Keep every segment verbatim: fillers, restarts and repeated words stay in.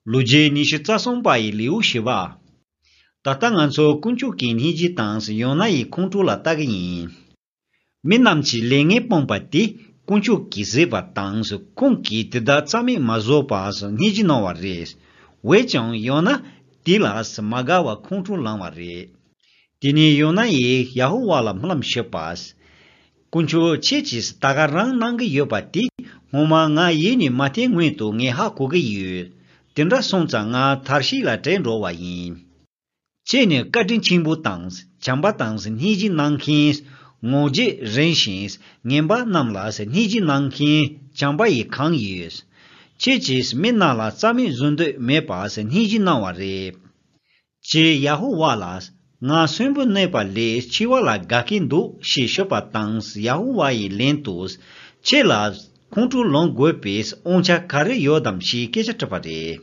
Luje nishi tsasong bai liu shiva. Tata nganso kunchu ki niji tans yona yi kunchu la tagyin. Minamchi lenge pompati kunchu ki zeba tans kunki tida tsami mazo pas niji no waris. Wechong yona tilas magawa kunchu lang wari. Tini yona yi yahu wala mlam shepas. Kunchu chechis tagarang nang yopati homa nga yini mati ngui tu nge ha kugi yu. Tendra songza nga tarshi la tenro wa yin. Chene katin chimbu tangs, chamba tangs niji nangkins, ngoje renshins, ngemba namlas niji nangkin, chamba yi kang yus. Chechis minna la tsami zundu mepas niji naware. Che yahu walas, nga sunbu nepa le chiwa la gakindu shi shopa tangs yahu wayi lentus, che la kuntu long guepes oncha kare yodam shi kecha tapare.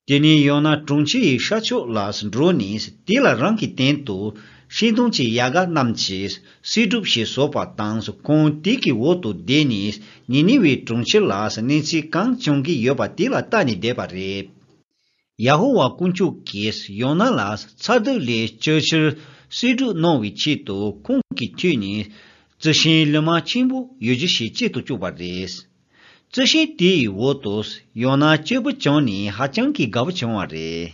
Tini yona trungchi shacho las dronis tila rangi tentu shindungchi yaga namchis sidup shi sopa tangs kong tiki wotu denis niniwi trungchi las ninsi kang chungi yoba tila tani depare. Yahuwa kunchu kis yona las tsadu le churchir sidu novi chitu kongki tuni zishin lima chimbu yujishi chitu chubares. Zishin di wotos yona chibu choni hachanki gabu chonware.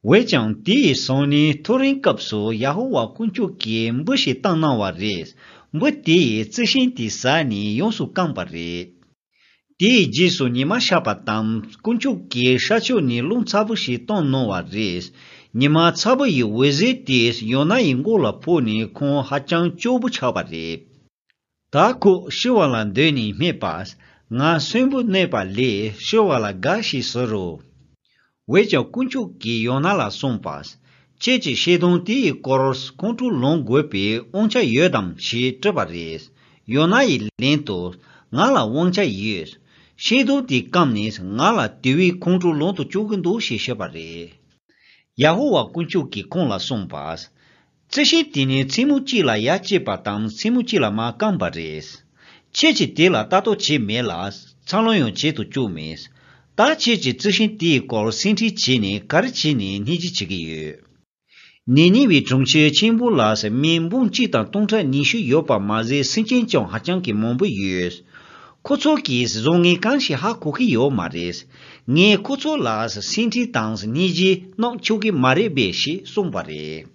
Wechang di soni turin kapsu Yahuwa kunchu ki mbushi tangna wares. Mbu di zishin di sani yonsu kambare. Di jisu nima shapatam kunchu ki shacho ni lung tsabu shi tong no wares. Nima tsabu yi weze tis yona ingola poni kong hachang chobu chabare. Taku shiwalan deni mepas. Nga sunbu nepa le shiwala gashi soro. Wecha kunchu ki yona la sompas. Chechi shedong ti koros kunchu long guepe oncha yodam shi trabares. Yona yi lento nga la wangcha yes. Shedong ti kamnis nga la tiwi kunchu long to chugundu shi shepare. Yahuwa kunchu ki kong la sompas. Tseshi tini tsimuchi la yache patam tsimuchi la ma kambares. Chechi tila tato chi me las, changlong che tu chu mes. Ta chechi zishin ti kor sinti chi ni kari chi ni niji chigi yu. Nini wi chungche chimbu las min bung chi tang tongcha nishu yopa maze sinchen chong hachang ki mombu yus. Kutso ki zongi kanshi ha kuki yo mares. Nge kutso las sinti tangs niji nong chuki mare beshi sombare.